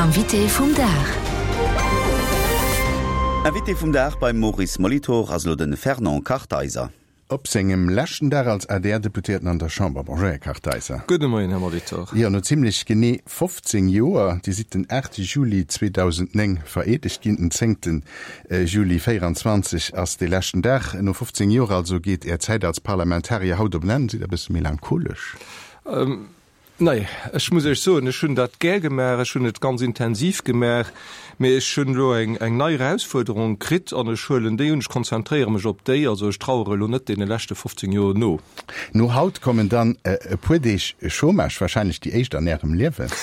Invité vum Dag. Invité vum Dag beim Maurice Molitor ass elo de Fernand Kartheiser. Op sengem leschten Dag als ADR-Deputéierten an der Chamber. Bonjour, Här Kartheiser. Gudde Moien, Här Molitor. Jo, no zimlech genee 15 Joer, Dir sidd den 8 Juli 2009 vereedegt ginn, den 10 Juli 24 ass dee leschten Dag. No 15 Joer also geet Är Zäit als Parlamentarier haut op en Enn. Sidd Der e bësse melancholesch? Nee, ech muss Iech soen, ech hunn dat gär gemaach, ech hunn et ganz intensiv gemaach, mee ech hunn elo eng eng nei Erausfuerderung kritt an ech huelen déi un, ech konzentréiere mech op déi. Also ech trauere elo net deene leschte 15 Joer no. No haut kommen dann e puer Deeg Chômage, wahrscheinlech déi éischt an Ärem Liewen.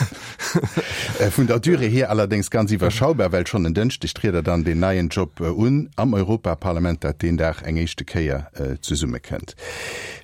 Vun der Durée hier allerdéngs ganz iwwerschaubar, well schonn en Dënschdeg triet Der dann deen neien Job un am Europaparlament, dat deen Dag eng éischte Kéier zesummekënnt.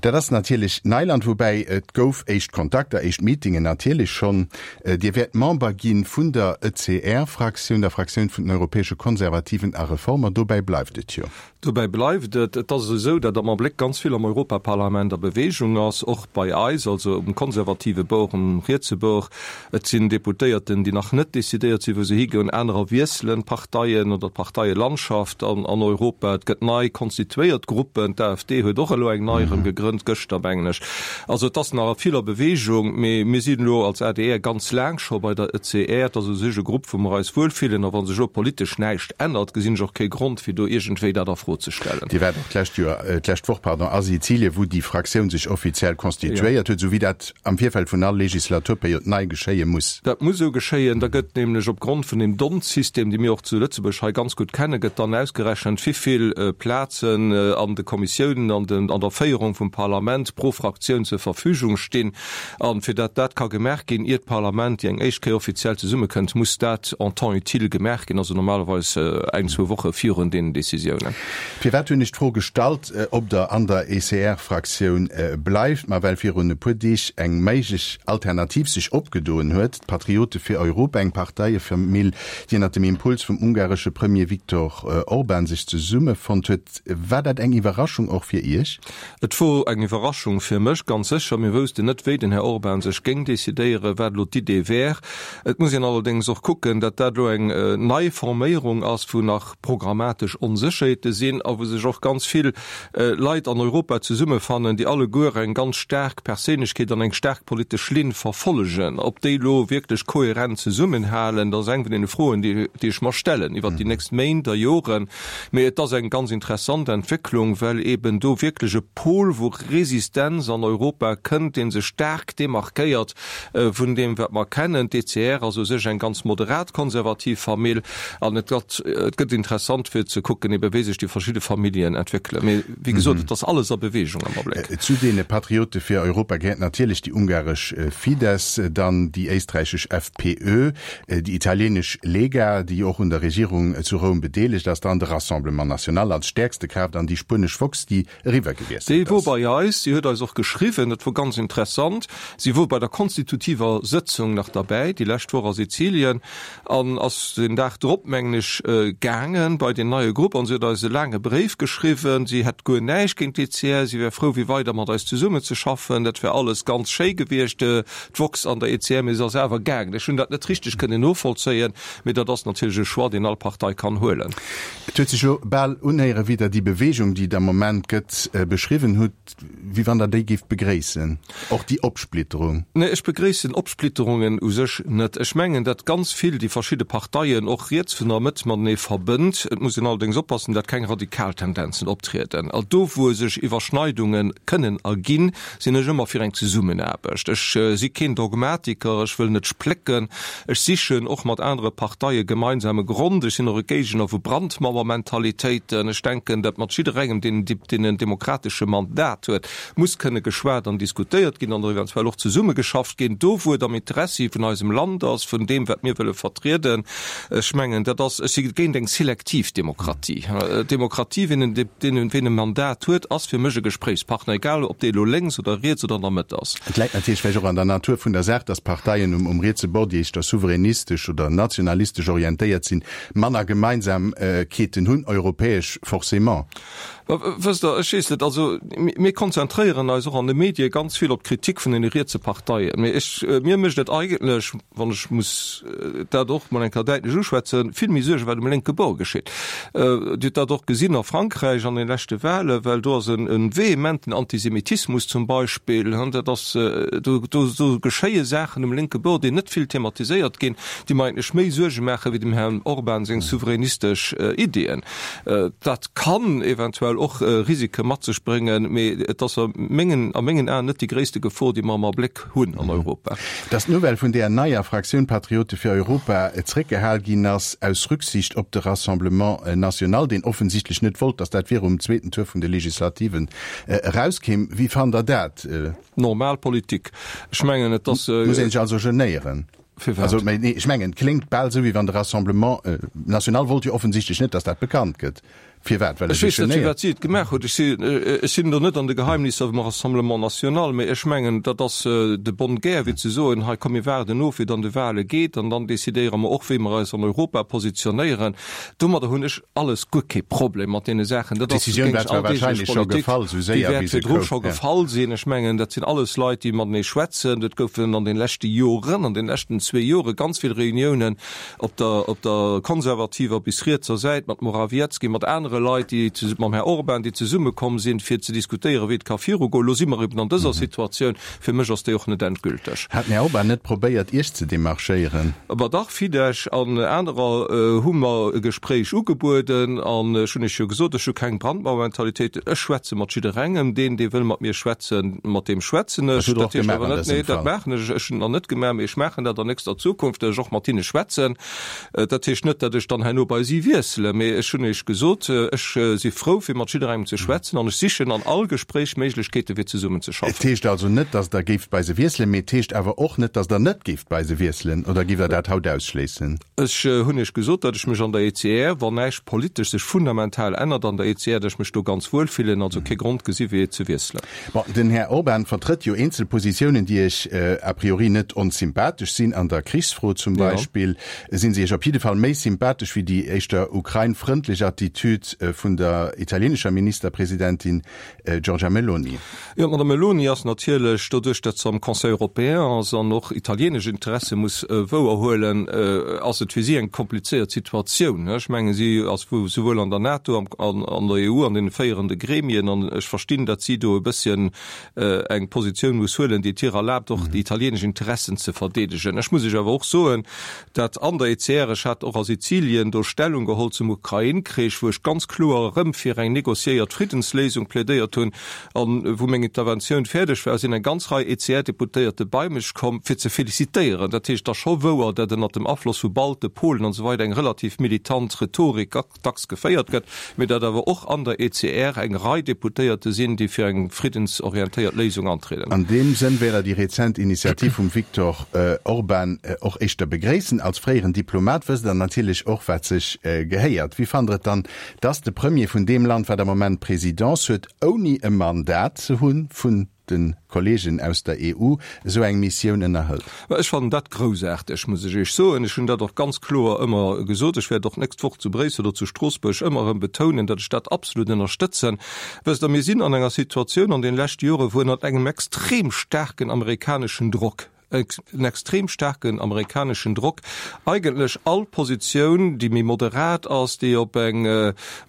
Dat ass natierlech Neiland, woubäi et gouf éischt Kontakter, éischt Meetingen natierlech schonn. Dir wäert Member gi vun der ECR-Fraktioun, der Fraktioun vun den Europäesche Konservativen a Reformer. Dobäi bleift et jo. Dobäi bleift et. Et ass esou, datt am Abléck ganz vill am Europaparlament a Beweegung ass, och bei eis, also um konservative Bord, um rietse Bord. Et sinn Deputéierten, déi nach net decidéiert sinn, wou se higoen. Anerer wiesselen d'Parteien oder d'Parteielandschaft an Europa. Et gëtt nei konstituéiert Gruppen. D'AfD huet och elo eng nei erëm gegrënnt, gëschter mengen ech. Also et ass nach vill a Beweegung. Mee mir sinn elo als adr ganz laang scho bei der ECR. Et ass u sech e Grupp, wou mer eis wuelfillen. A wa sech elo politesch näischt ännert, gesinn ech och kee Grond, fir do iergendwéi dat a Fro ze stellen. Dir waart och d'lescht Joer, d'lescht Woch, pardon, a Sizilien, wou déi Fraktioun sech offiziell konstituéiert huet, esou wéi dat am Virfeld vun all Legislaturperiod nei geschéie muss. Dat muss esou geschéien. Da gëtt nämlech op Grond vun deem D'Hondt-System, dee mir och zu Lëtzebuerg hei ganz gutt kennen, gëtt dann ausgerechent, wivill Plazen an de Kommissiounen, an den, an der Féierung vum Parlament pro Fraktioun zur Verfügung stinn. A fir dat dat ka gemaach ginn, ier d'Parlament déi eng éischt Kéier offiziell zesummekënnt, muss dat en temps utile gemaach ginn, also normalerweis eng, zwou Woche virun deenen Décisiounen. Firwat hunn ech d'Fro gestallt, ob Der an der ECR-Fraktioun bleift? Ma well virun e puer Deeg eng méiglech Alternativ sech opgedoen huet, d'Patriote fir Europa, eng Parteiefamill, déi ënnert dem Impuls vum ungaresche Premier Viktor Orban sech zesummefonnt huet. War dat eng Iwwerraschung och fir Iech? Et wor eng Iwwerraschung fir mech, ganz sécher. Mir woussten net, wéi den Här Orban sech géing decidéieren, wat elo d'Idee wär. Et muss een allerdéngs och kucken, datt dat elo eng nei Forméierung ass, wou nach programmatesch Onsécherheete sinn a wou sech och ganz vill Leit an Europa zesummefannen, déi alleguer eng ganz staark Perséinlechkeet an eng staark politesch Linn verfollegen. Ob déi elo wierklech kohärent zesummenhalen, dat ass eng vun deene Froen, déi ech mer stellen iwwert déi nächst Méint a Joren. Mee et ass eng ganz interessant Entwécklung, well eben do wierklech e Pol vu Resistenz an Europa kënnt, dee sech staark demarkéiert vun deem, wat mer kennen. D'ECR ass u sech eng ganz moderat konservativ Famill an et gëtt, et gëtt interessant fir ze kucken eben, wéi sech déi verschidde Familljen entwéckelen. Mee wéi gesot, et ass alles a Bewegung am Abléck. Zu deene Patriote fir Europa gehéiert natierlech déi ungaresch Fidesz, dann déi éisträichesch FPÖ, Déi italienesch Lega, déi och un der Regierung zu Roum bedeelegt ass, dann de Rassemblement National als stäerkste Kraaft an déi spuenesch Vox, déi eriwwer gewiesselt Déi wor bei eis, si huet eis och geschriwwen, dat wor ganz interessant. Si wor bei der konstitutiver Sëtzung nach derbäi, déi lescht Woch a Sizilien, an ass den Dag drop, mengen ech, gaange bei deen neie Grupp an si huet eis e laange Bréif geschriwwen. Si hätt guer näischt géint d'ECR, si wär frou fir weider mat eis zesummenzeschaffen, dat wär alles ganz schéi gewiescht. D'Vox an der ECR, mee se ass awer gaangen. Ech hunn dat net richteg kënnen novollzéien, mee dat ass natierlech e Choix, deen all Partei kann huelen. Et huet sech elo bal unhéieren, wéi Der déi Bewegung, déi et am Moment gëtt, beschriwwen hutt, wéi wann Der déi géift begréissen, och déi Opsplitterung. Nee, ech begréissen Opsplitterungen u sech net. Ech mengen, datt ganz vill déi verschidde Parteien, och riets vun der Mëtt, matenee verbënnt. Et muss een allerdéngs oppassen, datt keng radikal Tendenzen optrieden. A do, wou sech Iwwerschneidunge kënnen erginn, sinn ech ëmmer fir eng Zesummenaarbecht. Ech si keen Dogmatiker, ech wëll net splécken. Ech sichen och mat anere Parteie gemeinsame Grond. Ech sinn och e Géigner vu Brandmauermentalitéiten. Ech denken, datt mat jidderengem, deen deen en demokratesche Mandat huet, muss kënne geschwat an diskutéiert ginn an eventuell och zesummegeschafft ginn, do wou et am Interessi vun eisem Land ass, vun deem wat mir wëlle vertrieden. Ech mengen, dat ass, ech si géint eng selektiv Demokratie. Demokratie, wien en, deen, wien e Mandat huet, ass fir mech e Gespréichspartner, egal ob dee elo lénks oder riets oder an der Mëtt ass. Et läit natierlech vläicht och an der Natur vun der Saach, datt Parteien um, um rietse Bord, déi éischter souveränistesch oder nationalistesch orientéiert sinn, manner Gemeinsamkeeten hunn, europäesch forcément. Wësst Der, ech weess net, also mir konzentréieren eis och an de Medie ganz vill op d'Kritik vun deene rietse Parteien. Mee ech, mir mécht et eigentlech, wann ech muss dat och mol eng Kéier däitlech uschwätzen, vill méi Suergen, wat um lénke Bord geschitt. Dir hutt dat och gesinn a Frankräich an de leschte Wahlen, well do ass e vehementen Antisemitismus zum Beispill. Dat ass, do, do geschéie Saachen um lénke Bord, déi net vill thematiséiert ginn, déi mer eigentlech méi Suerge maache wéi dem Herrn Orban seng souveränistesch Ideeën. Dat kann eventuell och Risike mat sech bréngen, mee et ass a mengen, a mengen Aen net déi gréisste Gefor, déi mer am Abléck hunn an Europa. Dass d'Nouvelle vun där neier Fraktioun Patriote fir Europa zréckgehal ginn ass, aus Rücksicht op de Rassemblement national, deen offensichtlech net wollt, dass dat virum zweeten Tour vun de Legislativen erauskéim. Wéi fannt Der dat? Normal Politik. Ech mengen, et ass. Muss een sech also genéieren? Firwat? Also, mä nee, ech mengen, et kléngt bal esou, wéi wann de Rassemblement national wollt jo offensichtlech net, datt dat bekannt gëtt. Firwat? Well e Ech sech weess net, genéiert. firwat si et gemaach huet. Ech si, ech sinn do net an de Geheimnisser vum Rassemblement national, mä ech mengen, dat ass de bonne guerre, fir ze soen, hei komm, mir waarden of, wéi et an de Wahle geet, an dann decidéiere mer och, wéi mer eis an Europa positionéieren. Domadder hunn ech alles guer kee Problem mat deene Saachen. Dat ass, D'Decisioun géing war ech zwar alldeeglech wahrscheinlech scho Politik, gefall, esou déi séier wäert wéi se virdru koum. scho Ja. gefall sinn. Ech mengen, dat sinn alles Leit, déi matenee schwätzen. Et goufen an de leschte Joren, an de leschten zwee Jore ganz vill Reuniounen op der, op der konservativer bis rietser Säit mat Morawiecki, mat anere Leit, déi, mam Här Orban, déi zesummekomm sinn, fir ze diskutéieren, wéi et ka virugoen. Elo si mer eben an dëser Situatioun. Fir mech ass déi och net endgülteg. Hat den Här Orban net probéiert, Iech ze demarchéieren? Ma dach, Fidesz an anerer hu mer e Gespréich ugebueden an ech hunn Iech jo gesot, ech hu keng Brandmauermentalitéit. Ech schwätze mat jidderengem. Deen, dee wëll mat mir schwätzen, mat deem schwätzen ech. Dat hutt Der Dat och heescht gemaach awer an net, dësem nee, dat Fall? maachen ech. Ech hunn et nach net gemaach, mee ech maachen dat an nächster Zukunft, datt ech och mat hinne schwätzen. Dat heescht net, datt ech dann herno bei si wiesselen, mee ech hunn Iech gesot, ech si frou fir mat jidderengem ze schwätzen an ech sichen an all Gespréich Méiglechkeete fir zesummen ze Et schaffen. heescht also net, datt Der géift bei se wiesselen, mee et heescht awer och net, datt Der net géift bei se wiesselen. Oder giff Der dat haut ausschléissen? Ech hunn Iech gesot, datt ech mech an der ECR, wann näischt politesch sech fundamental ännert an der ECR, datt ech mech do ganz wuel fillen, also kee Grond gesi fir ze wiesselen. Bon, den Här Orban vertrëtt jo eenzel Positiounen, déi Iech a priori net onsympathesch sinn. An der Krichsfro zum Beispill sinn se Iech op jidde Fall méi sympathesch wéi déi éischter ukrainfrëndlech Attitüd vun der italienescher Ministerpresidentin Giorgia Meloni. Jo, d'Madame Meloni ass natierlech, doduerch datt se am Conseil européen ass an och italienesch Interesse muss wouerhuelen, ass et fir si eng komplizéiert Situatioun. Ech mengen, si ass souwuel an der NATO an an der EU an deene féierende Gremien, an ech verstinn, datt si do e bësschen eng Positioun muss huelen, déi et hir erlaabt, och déi italienesch Interessen ze verdeedegen. Ech muss Iech awer och soen, datt an der ECR, ech hat och a Sizilien do Stellung geholl zum Ukrain-Krich, wou ech ganz kloer erëm fir eng négociéiert Friddensléisung plädéiert hunn, an wou meng Interventioun fäerdeg war, sinn eng ganz Rei ECR-Deputéierte bei mech komm, fir ze felicitéieren. Dat heescht, et ass scho wouer, datt ënnert dem Afloss vu Balte, Polen an esou weider eng relativ militant Rhetorik dacks geféiert gëtt, mee datt awer och an der ECR eng Rei Deputéierte sinn, déi fir eng friddensorientéiert Léisung antrieden. An deem Sënn wär der déi rezent Initiativ vum Viktor Orban och éischter begréissen. Als fréieren Diplomat wësst Der natierlech och, wat sech gehéiert. Wéi fannt Der et dann, dass de Premier vun deem Land, wat am Moment d'Presidence huet, ouni e Mandat ze hu vun de Kollegen aus der EU, esou eng Missioun ënnerhëlt. Mä ech fannen dat groussaarteg, muss ech Iech soen. Ech hunn dat och ganz kloer ëmmer gesot. Ech wäert och d'nächst Woch zu Bréissel oder zu Stroossbuerg ëmmer erëm betounen, datt ech dat absolut ënnerstëtzen. Wësst Der, mir sinn an enger Situatioun an de leschte Jore wou ënnert engem extrem staarken amerikaneschen Drock, en extrem staarken amerikaneschen Drock, eigentlech all Positioun, déi méi moderat ass, déi op eng,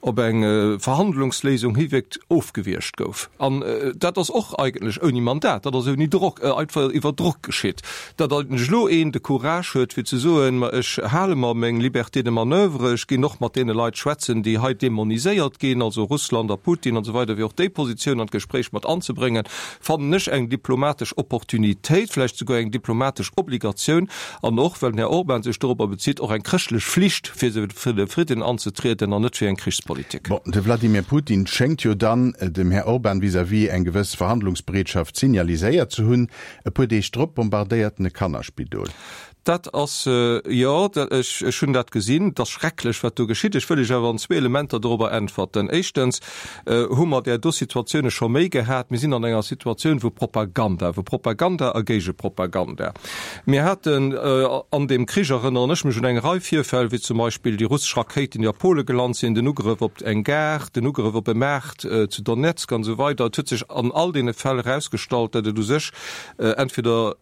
op eng Verhandlungsléisung hiwierkt, ofgewiergt gouf. An dat ass och eigentlech ouni Mandat, dat ass ouni Drock, einfach iwwer Drock geschitt. Datt eigentlech elo een de Courage huet, fir ze soen, ma ech hale mer meng Liberté de manoeuvre, ech ginn och mat deene Leit schwätzen, déi hei demoniséiert ginn, also Russland a Putin an esou weider, fir och déi Positioun an d'Gespréich mat anzebréngen, fannen ech eng diplomatesch Opportunitéit, vläicht souguer eng diplomatesch Obligatioun an och, well den Här Orban sech dorobber bezitt, och eng chrëschtlech Flicht, fir fir de Fridden anzetrieden an net fir eng Krichspolitik. Bon, de Vladimir Putin schéngt jo dann dem Här Orban vis-à-vis eng gewëss Verhandlungsbereetschaft signaliséiert ze hunn. E puer Deeg drop bombardéiert en e Kannerspidol. Dat ass, jo, ech, ech hunn dat gesinn. Et ass schrecklech, wat do geschitt. Ech wëll Iech awer an zwee Elementer dorobber äntwerten. Éischtens hu mer där do Situatioune scho méi gehat. Mir sinn an enger Situatioun, wou Propaganda, wou Propaganda a Géigepropaganda. Propaganda. Mir haten an deem Krich, erënneren ech mech un eng Rei Virfäll, wéi zum Beispill déi russesch Rakéiten, déi a Pole gelant sinn, den Ugrëff op eng Gare, den Ugrëff op e Maart zu Donezk an esou weider. Et huet sech an all deene Fäll erausgestallt, datt et u sech entweder,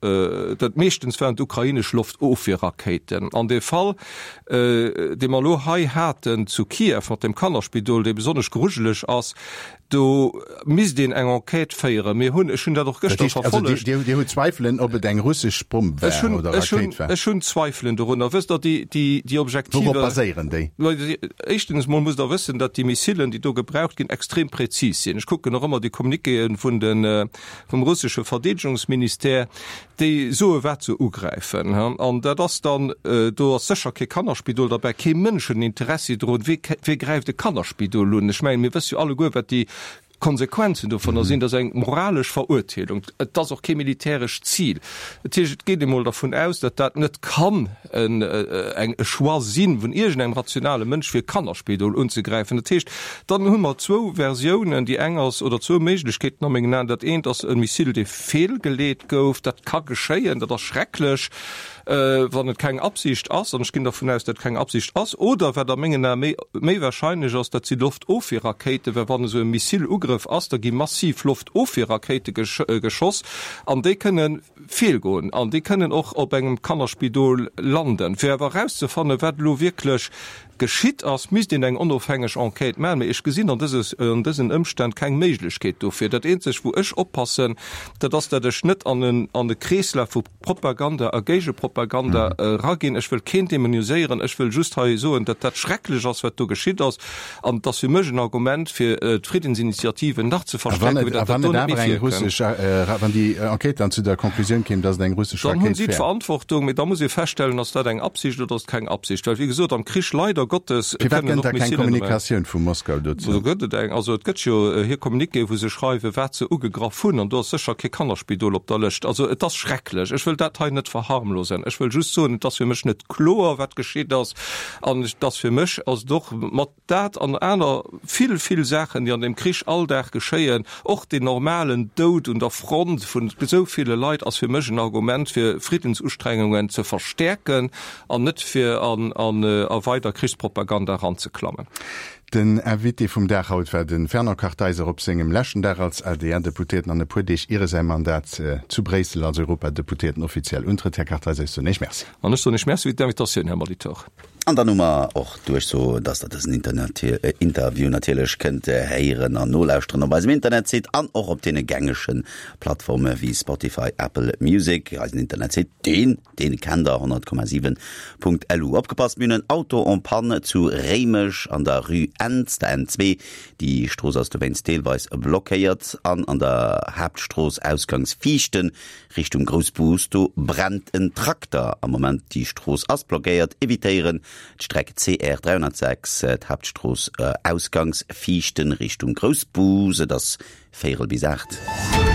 dat meeschtens waren et ukrainesch Loftofwierrakéiten. An dee Fall, dee mer elo hei haten zu Kiew mat dem Kannerspidol, dee besonnesch grujeleg ass, Do misst een eng Enquête féieren. Mir hunn, ech hunn dat och gëschter verfollegt. Dir hutt Zweifelen, ob et eng russesch Bomm war oder Rakéit war? Ech hunn Zweifelen dorunner. Wësst Der, déi Objektiver. Wourop baséieren déi? Éischtens emol musst Der wëssen, datt déi Missilen, déi do gebraucht ginn, extrem prezis sinn. Ech kucken och ëmmer déi Communiquéë vun de, vum russesche Verdeedegungsministère. Déi soe wat se ugräifen. An dat ass dann, do ass sécher kee Kannerspidol derbäi, kee Mënsch huet en Interessi drun. Wee, wee gräift e Kannerspidol un? Ech mengen, mir wësse jo alleguer, wat déi Konsequenzen dovunner sinn. Dat ass eng moralesch Verurteelung. Et ass och kee militärescht Zil. Dat heescht, et geet emol dervun aus, datt dat net kann en, eng, e Choix si vun iergendengem rationale Mënsch, fir e Kannerspidol unzegräifen. Dat heescht, dann hu mer zwou Versiounen. Déi eng ass, oder zwou Méiglechkeeten a mengen Aen. Dat eent ass e Missile, dee feelgeleet gouf. Dat ka geschéien, dat ass schrecklech, wann et keng Absicht ass, an ech ginn dervun aus, datt et keng Absicht ass, oder wat a mengen Ae méi, méi wahrscheinlech ass, dat si Loftofwierrakéiten, well wann esou e Missilugrëff ass, da gi massiv Loftofwierrakéite geschoss an déi kënne feelgoen an déi kënnen och op engem Kannerspidol landen. Fir awer erauszefannen, wat elo wierklech Geschitt ass, misst een eng onofhängeg Enquête maachen, mee ech gesinn an dësen Ëmstänn keng Méiglechkeet dofir. Dat eenzegt, wou ech oppassen, dat ass, dat ech net an en e Kreeslaf vu Propaganda a Géigepropaganda eraginn. Ech wëll keen demoniséieren, ech wëll just hei soen, datt dat schrecklech ass, wat do geschitt ass, an et ass fir mech en Argument, fir d'Friddensinitiativen nach ze verstärken, fir datt dat do net méi virkënnt. A wann déi Enquête dann zu der Conclusioun kéim, datt et eng russesch Rakéit wär? Dann hunn si d'Verantwortung, mee da muss ee feststellen, ass dat eng Absicht oder ass et keng Absicht? Well, wéi gesot, am Krich, leider Gottes, Firwat kënnen gëtt och da keng Missilen dobäi. Kommunikatioun vu Moskau dozou? Do gëtt et eng. Also et gëtt jo hir Communiquéë wou se schreiwen, wat se ugegraff hunn, an do ass sécher kee Kannerspidol op der Lëscht. Also et ass schrecklech. Ech wëll dat hei net verharmlosen. Ech wëll just soen, et ass fir mech net kloer, wat geschitt ass, an et ass fir mech ass et och mat Dat an aner vill, vill Saachen, déi an deem Krich all Dag geschéien, och deen normalen Doud un der Front vun esou ville Leit, ass fir mech en Argument, fir Friddensustrengungen ze verstäerken an net fir a weider Krichspropaganda eranzeklammen. Den Invité vum Dag haut war de Fernand Kartheiser op sengem leschten Dag als ADR-Deputéierten an e puer Deeg ier e säi Mandat zu Bréissel als Europadeputéierten offiziell untrëtt. Här Kartheiser, ech soen Iech Merci. An ech soen Iech Merci fir d'Invitatioun, Här Molitor. An dann hu mer och d'Duerchso, dass Der dësen Interview natierlech kënnt héieren an nolauschteren op eisem Internetsite an och op deene gängege Plattforme wéi Spotify, Apple Music. Eisen Internetsite, deen, deen kennt Der, 100,7.lu. Opgepasst, mir hunn en Auto en panne zu Réimech an der Rue Ents, der N2. Déi Strooss ass dowéinst deelweis blockéiert an an der Haaptstrooss ausgangs Viichten Richtung Groussbus, do brennt en Trakter am Moment. Déi Strooss ass blockéiert. Evitéieren d'Streck CR 306, d'Haaptstrooss ausgangs Viichten Richtung Groussbus. Et ass véierel bis 8.